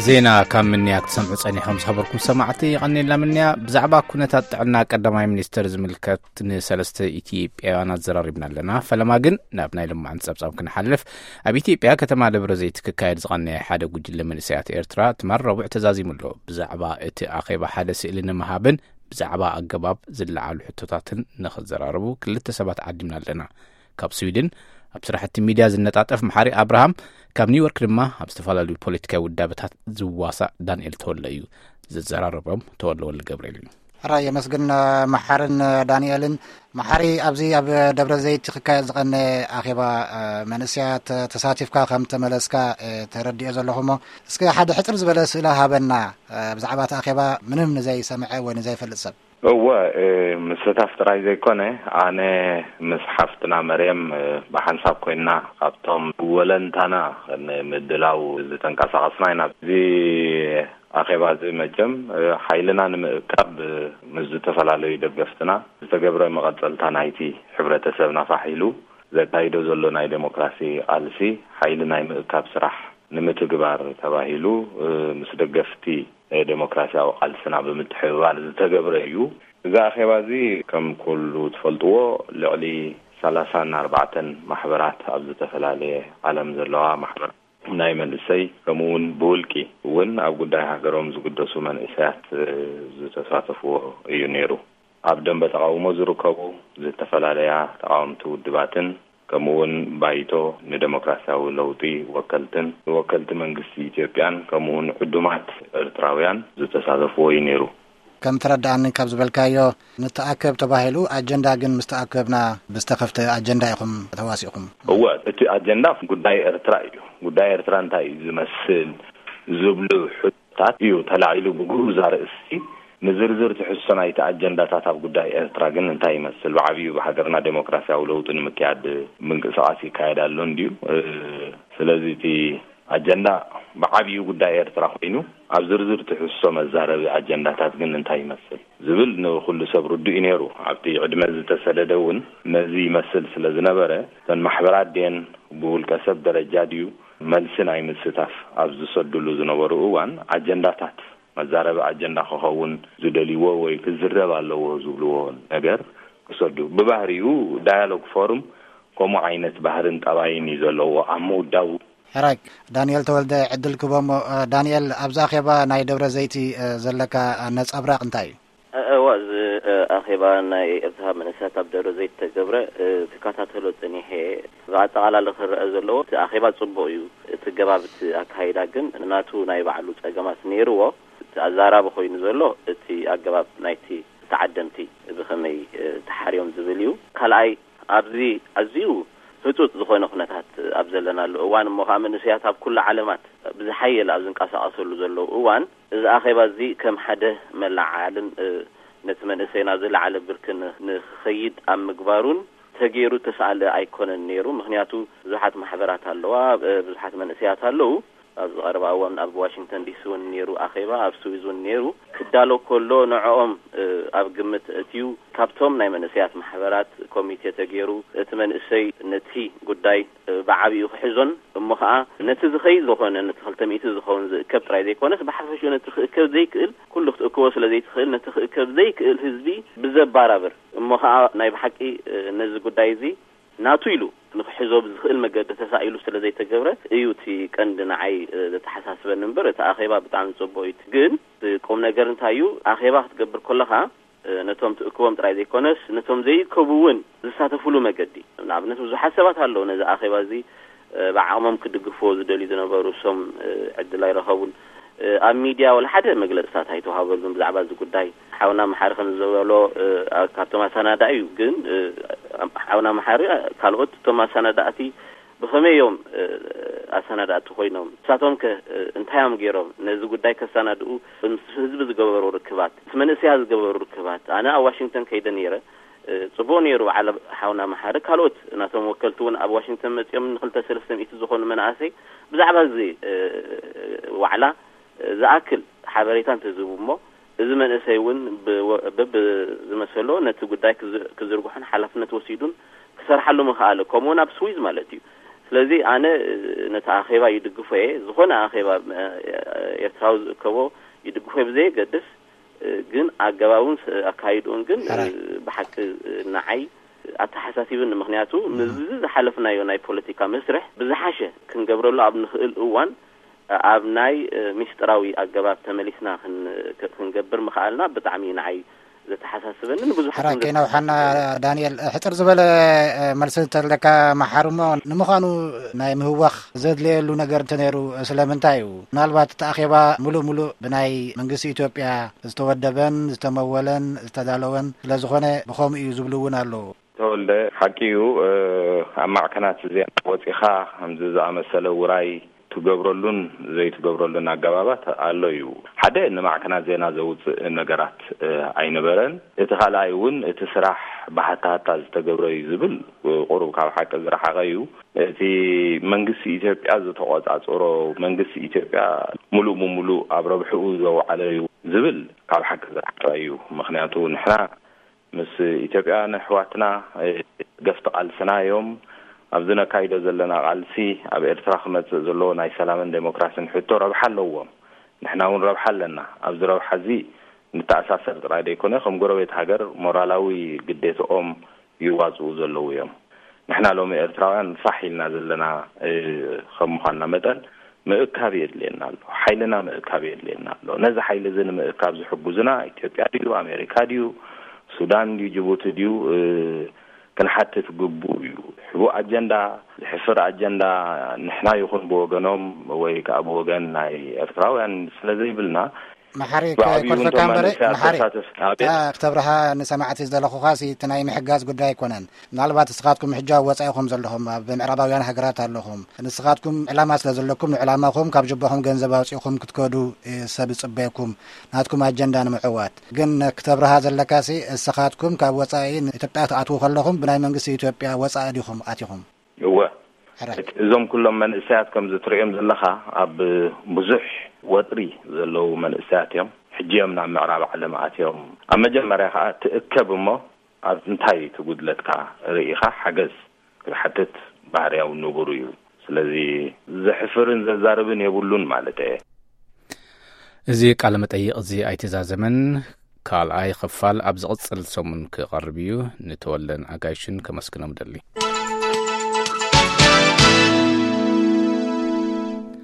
ዜና ካብ ምንያ ክትሰምዑ ጸኒሖም ዝኸበርኩም ሰማዕቲ፣ የቐንየልና ምንያ። ብዛዕባ ኩነታት ጥዕና ቀዳማይ ሚኒስተር ዝምልከት ንሰለስተ ኢትዮጵያውያን ኣዘራሪብና ኣለና። ፈለማ ግን ናብ ናይ ልማዓን ጸብጻብ ክንሓልፍ። ኣብ ኢትዮጵያ ከተማ ደብረ ዘይት ክካየድ ዝቐነየ ሓደ ጉጅለ መንእሰያት ኤርትራ ትማል ረቡዕ ተዛዚሙ ኣሎ። ብዛዕባ እቲ ኣኼባ ሓደ ስእሊ ንምሃብን ብዛዕባ ኣገባብ ዝለዓሉ ሕቶታትን ንኽዘራረቡ ክልተ ሰባት ዓዲምና ኣለና። ካብ ስዊድን ኣብ ስራሕቲ ሚድያ ዝነጣጠፍ መሓሪ ኣብርሃም፣ ካብ ኒውዮርክ ድማ ኣብ ዝተፈላለዩ ፖለቲካዊ ውዳበታት ዝዋሳእ ዳንኤል ተወለ እዩ። ዘዘራረቦም ተወለ ወልደ ገብርኤል እዩ። ሕራይ የመስግን መሓርን ዳንኤልን። መሓሪ፣ ኣብዚ ኣብ ደብረ ዘይት ክካየድ ዝቐነ ኣኼባ መንእሰያት ተሳቲፍካ ከም ተመለስካ ተረዲኦ ዘለኹ እሞ፣ እስከ ሓደ ሕፅር ዝበለ ስእላ ሃበና። ብዛዕባ እቲ ኣኼባ ምንም ንዘይሰምዐ ወይ ንዘይፈልጥ ሰብ። እወ፣ ምስታፍ ጥራይ ዘይኮነ፣ ኣነ ምስ ሓፍትና መርየም ብሓንሳብ ኮይንና ካብቶም ወለንታና ንምድላው ዝተንቀሳቐስና ኢና። እዚ ኣኼባ እዚ መቸም ሓይልና ንምእካብ ምስ ዝተፈላለዩ ደገፍትና ዝተገብረ መቐጸልታ ናይቲ ሕብረተሰብና ፋሕ ኢሉ ዘካይዶ ዘሎ ናይ ዴሞክራሲ ቃልሲ ሓይሊ ናይ ምእካብ ስራሕ ንምትግባር ተባሂሉ ምስ ደገፍቲ ዴሞክራሲያዊ ቃልስና ብምትሕብባር ዝተገብረ እዩ። እዚ ኣኼባ እዚ ከም ኩሉ ትፈልጥዎ ልዕሊ ሰላሳን ኣርባዕተን ማሕበራት ኣብ ዝተፈላለየ ዓለም ዘለዋ ማሕበራት ናይ መንእሰይ ከምኡ እውን ብውልቂ እውን ኣብ ጉዳይ ሃገሮም ዝግደሱ መንእሰያት ዝተሳተፍዎ እዩ ነይሩ። ኣብ ደንበ ተቓውሞ ዝርከቡ ዝተፈላለያ ተቓወምቲ ውድባትን ከምኡ እውን ባይቶ ንደሞክራሲያዊ ለውጢ ወከልትን ወከልቲ መንግስቲ ኢትዮጵያን ከምኡ እውን ዕዱማት ኤርትራውያን ዝተሳተፍዎ እዩ ነይሩ። ከም ተረዳኣኒ ካብ ዝበልካዮ፣ ንተኣከብ ተባሂሉ ኣጀንዳ ግን ምስ ተኣከብና ብዝተኸፍተ ኣጀንዳ ኢኹም ተዋሲእኹም። እወ፣ እቲ ኣጀንዳ ጉዳይ ኤርትራ እዩ። ጉዳይ ኤርትራ እንታይ እዩ ዝመስል ዝብሉ ሕቶታት እዩ ተላዒሉ ብግሩዝ ኣርእስቲ። ንዝርዝር ትሕዝቶ ናይቲ ኣጀንዳታት ኣብ ጉዳይ ኤርትራ ግን እንታይ ይመስል፣ ብዓብዩ ብሃገርና ዴሞክራሲያዊ ለውጢ ንምክያድ ምንቅስቃስ ይካየድ ኣሎ እንድዩ። ስለዚ እቲ ኣጀንዳ ብዓብዩ ጉዳይ ኤርትራ ኮይኑ፣ ኣብ ዝርዝር ትሕዝቶ መዛረቢ ኣጀንዳታት ግን እንታይ ይመስል ዝብል ንኩሉ ሰብ ርዱእ እዩ ነይሩ። ኣብቲ ዕድመ ዝተሰደደ እውን ነዚ ይመስል ስለ ዝነበረ፣ እተን ማሕበራት ድየን ብውልቀ ሰብ ደረጃ ድዩ መልሲ ናይ ምስታፍ ኣብ ዝሰድሉ ዝነበሩ እዋን፣ ኣጀንዳታት መዛረቢ ኣጀንዳ ክኸውን ዝደልይዎ ወይ ክዝረብ ኣለዎ ዝብልዎ ነገር ክሰዱ። ብባህሪኡ ዳያሎግ ፎርም ከምኡ ዓይነት ባህርን ጠባይን እዩ ዘለዎ ኣብ ምውዳቡ። ሕራይ፣ ዳንኤል ተወልደ ዕድል ክቦሞ። ዳንኤል፣ ኣብዚ ኣኼባ ናይ ደብረ ዘይቲ ዘለካ ነጸብራቕ እንታይ እዩ? እወ፣ እዚ ኣኼባ ናይ ኤርትራ መንእሰያት ኣብ ደብረ ዘይት ተገብረ ክከታተሎ ጸኒሐ። ብኣጠቓላሊ ክረአ ዘለዎ እቲ ኣኼባ ጽቡቕ እዩ። እቲ ገባብ እቲ ኣካይዳ ግን ናቱ ናይ ባዕሉ ጸገማት ነይርዎ። እቲ ኣዛራቢ ኮይኑ ዘሎ እቲ ኣገባብ ናይቲ ተዓደምቲ ብኸመይ ተሓርዮም ዝብል እዩ። ካልኣይ፣ ኣብዚ ኣዝዩ ህጹጽ ዝኾነ ኩነታት ኣብ ዘለናሉ እዋን፣ እሞ ኸኣ መንእሰያት ኣብ ኩሉ ዓለማት ብዝሓየለ ኣብ ዝንቀሳቐሰሉ ዘለዉ እዋን፣ እዚ ኣኼባ እዚ ከም ሓደ መለዓልን ነቲ መንእሰይ ናብ ዝለዓለ ብርኪ ንኽኸይድ ኣብ ምግባሩን ተገይሩ ተሰኣለ ኣይኮነን ነይሩ። ምኽንያቱ ብዙሓት ማሕበራት ኣለዋ፣ ብዙሓት መንእሰያት ኣለዉ። ኣብዚ ቀረባ እዋን ኣብ ዋሽንግተን ዲሲ እውን ነይሩ ኣኼባ፣ ኣብ ስዊዝ እውን ነይሩ። ክዳሎ ከሎ ንዕኦም ኣብ ግምት እትዩ። ካብቶም ናይ መንእሰያት ማሕበራት ኮሚቴ ተገይሩ እቲ መንእሰይ ነቲ ጉዳይ ብዓቢኡ ክሕዞን እሞ ኸኣ ነቲ ዝኸይድ ዝኾነ ነቲ ክልተ ሚእቲ ዝኸውን ዝእከብ ጥራይ ዘይኮነስ ብሓፈሽኡ ነቲ ክእከብ ዘይክእል ኩሉ ክትእክቦ ስለ ዘይትኽእል ነቲ ክእከብ ዘይክእል ህዝቢ ብዘባራብር እሞ ኸኣ ናይ ብሓቂ ነዚ ጉዳይ እዚ ናቱ ኢሉ ንክሕዞ ብዝኽእል መገዲ ተሳኢሉ ስለ ዘይተገብረ እዩ እቲ ቀንዲ ንዓይ ዘተሓሳስበኒ እምበር እቲ ኣኼባ ብጣዕሚ ጽቡቕ እዩ። ግን ቁም ነገር እንታይ እዩ ኣኼባ ክትገብር ከለኻ ነቶም ትእክቦም ጥራይ ዘይኮነስ ነቶም ዘይእከቡ እውን ዝሳተፍሉ መገዲ። ንኣብነት ብዙሓት ሰባት ኣለዉ ነዚ ኣኼባ እዚ ብዓቕሞም ክድግፍዎ ዝደልዩ ዝነበሩ እሶም ዕድል ኣይረኸቡን። ኣብ ሚድያ ወላ ሓደ መግለፅታት ኣይተዋሃበሉን ብዛዕባ እዚ ጉዳይ። ሓውና መሓሪ ከም ዝበሎ ካብቶም ኣሰናዳኢ እዩ፣ ግን ሓውና መሓሪ ካልኦት እቶም ኣሰናዳእቲ ብኸመይ እዮም ኣሰናዳእቲ ኮይኖም? ንሳቶም ከ እንታይ እዮም ገይሮም ነዚ ጉዳይ ከሰናድኡ? ምስ ህዝቢ ዝገበሩ ርክባት፣ ምስ መንእሰያት ዝገበሩ ርክባት፣ ኣነ ኣብ ዋሽንግተን ከይደ ነይረ። ጽቡቕ ነይሩ። በዓል ሓውና መሓሪ ካልኦት ናቶም ወከልቲ እውን ኣብ ዋሽንግተን መጺኦም ንክልተ ሰለስተ ሚእቲ ዝኾኑ መናእሰይ ብዛዕባ እዚ ዋዕላ ዝኣክል ሓበሬታ እንተዝህቡ እሞ እዚ መንእሰይ እውን ብዝመሰሎ ነቲ ጉዳይ ክዝርግሖን ሓላፍነት ወሲዱን ክሰርሓሉ ምኽኣለ፣ ከምኡውን ኣብ ስዊዝ ማለት እዩ። ስለዚ ኣነ ነቲ ኣኼባ ይድግፎ እየ። ዝኾነ ኣኼባ ኤርትራዊ ዝእከቦ ይድግፎ እየ ብዘየገድስ፣ ግን ኣገባቡን ኣካይድኡን ግን ብሓቂ ንዓይ ኣተሓሳሲብኒ። ምኽንያቱ ምስዚ ዝሓለፍናዮ ናይ ፖለቲካ መስርሕ ብዝሓሸ ክንገብረሉ ኣብ ንኽእል እዋን ኣብ ናይ ሚስጥራዊ ኣገባብ ተመሊስና ክንገብር ምኽኣልና ብጣዕሚ ንዓይ ዘተሓሳስበኒ። ንብዙሓት ሓራ ከይነውሓና። ዳንኤል፣ ሕፅር ዝበለ መልሲ እንተለካ መሓርሞ። ንምዃኑ ናይ ምህዋኽ ዘድለየሉ ነገር እንተነይሩ ስለምንታይ እዩ? ምናልባት እቲ ኣኼባ ሙሉእ ሙሉእ ብናይ መንግስቲ ኢትዮጵያ ዝተወደበን ዝተመወለን ዝተዳለወን ስለዝኾነ ብኸምኡ እዩ ዝብሉ እውን ኣለዉ። ተወልደ፣ ሓቂ እዩ። ኣብ ማዕከናት ዜና ወፂኻ ከምዚ ዝኣመሰለ ውራይ ትገብረሉን ዘይትገብረሉን ኣገባባት ኣሎ እዩ። ሓደ ንማዕከናት ዜና ዘውፅእ ነገራት ኣይነበረን። እቲ ካልኣይ እውን እቲ ስራሕ ብሃታሃታ ዝተገብረ እዩ ዝብል ቁሩብ ካብ ሓቂ ዝረሓቐ እዩ። እቲ መንግስቲ ኢትዮጵያ ዝተቆፃፀሮ፣ መንግስቲ ኢትዮጵያ ሙሉእ ብሙሉእ ኣብ ረብሕኡ ዘውዓለ እዩ ዝብል ካብ ሓቂ ዝረሓቐ እዩ። ምኽንያቱ ንሕና ምስ ኢትዮጵያውያን ኣሕዋትና ገፍቲ ቃልስና እዮም። ኣብዚ ነካይዶ ዘለና ቃልሲ ኣብ ኤርትራ ክመፅእ ዘለዎ ናይ ሰላምን ዴሞክራሲን ሕቶ ረብሓ ኣለዎም። ንሕና እውን ረብሓ ኣለና። ኣብዚ ረብሓ እዚ ንተኣሳሰር ጥራይ ዘይኮነ ከም ጎረቤት ሃገር ሞራላዊ ግዴትኦም ይዋፅኡ ዘለዉ እዮም። ንሕና ሎሚ ኤርትራውያን ፋሕ ኢልና ዘለና ከም ምዃንና መጠን ምእካብ የድልየና ኣሎ። ሓይልና ምእካብ የድልየና ኣሎ። ነዚ ሓይሊ እዚ ንምእካብ ዝሕጉዝና ኢትዮጵያ ድዩ፣ ኣሜሪካ ድዩ፣ ሱዳን ድዩ፣ ጅቡቲ ድዩ ክንሓትት ግቡእ እዩ። ሕቡእ ኣጀንዳ፣ ዝሕፍር ኣጀንዳ ንሕና ይኹን ብወገኖም ወይ ከዓ ብወገን ናይ ኤርትራውያን ስለ ዘይብልና መሓሪ ብዓብዩ ከይኮርፈካ እቶም እምበረ መንእሰያት መሓሪ ተሳተፍ ኣቤት። ክተብርሃ ንሰማዕቲ ዝደለኹኻሲ እቲ ናይ ምሕጋዝ ጉዳይ ኣይኮነን። ምናልባት ንስኻትኩም ሕጂ ኣብ ወፃኢ ኢኹም ዘለኹም፣ ኣብ ምዕራባውያን ሃገራት ኣለኹም። ንስኻትኩም ዕላማ ስለ ዘለኩም ንዕላማኹም ካብ ጅባኹም ገንዘብ ኣውፂእኹም ክትከዱ ሰብ ይፅበየኩም ናትኩም ኣጀንዳ ንምዕዋት። ግን ክተብርሃ ዘለካሲ እስኻትኩም ካብ ወፃኢ ንኢትዮጵያ ክትኣትዉ ከለኹም ብናይ መንግስቲ ኢትዮጵያ ወፃኢ ዲኹም ኣቲኹም? እወ። ሕራይ። እዞም ኩሎም መንእሰያት ከምዚ ትርእዮም ዘለኻ ኣብ ብዙሕ ወጥሪ ዘለዉ መንእሰያት እዮም። ሕጂ እዮም ናብ ምዕራብ ዓለም ኣትዮም። ኣብ መጀመርያ ከዓ ትእከብ እሞ ኣብ እንታይ እቲ ጉድለትካ ርኢኻ ሓገዝ ክትሓትት ባህርያዊ ንቡር እዩ። ስለዚ ዘሕፍርን ዘዛርብን የብሉን ማለት እየ። እዚ ቃለ መጠይቕ እዚ ኣይተዛዘመን። ካልኣይ ክፋል ኣብ ዝቕጽል ሰሙን ክቐርብ እዩ። ንተወልደን ኣጋይሽን ከመስግኖም ደሊ።